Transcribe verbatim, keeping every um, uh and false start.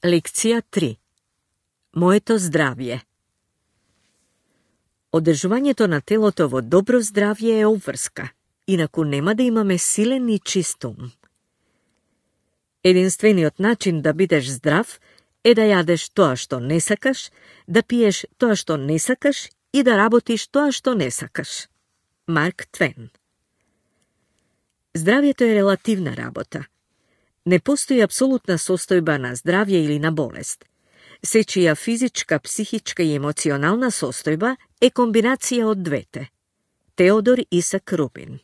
Лекција три. Моето здравје. Одржувањето на телото во добро здравје е обврска, инаку нема да имаме силен и чист ум. Единствениот начин да бидеш здрав е да јадеш тоа што не сакаш, да пиеш тоа што не сакаш и да работиш тоа што не сакаш. Марк Твен. Здравјето е релативна работа. Не постои апсолутна состојба на здравје или на болест. Сечија физичка, психичка и емоционална состојба е комбинација од двете. Теодор Исак Рубин.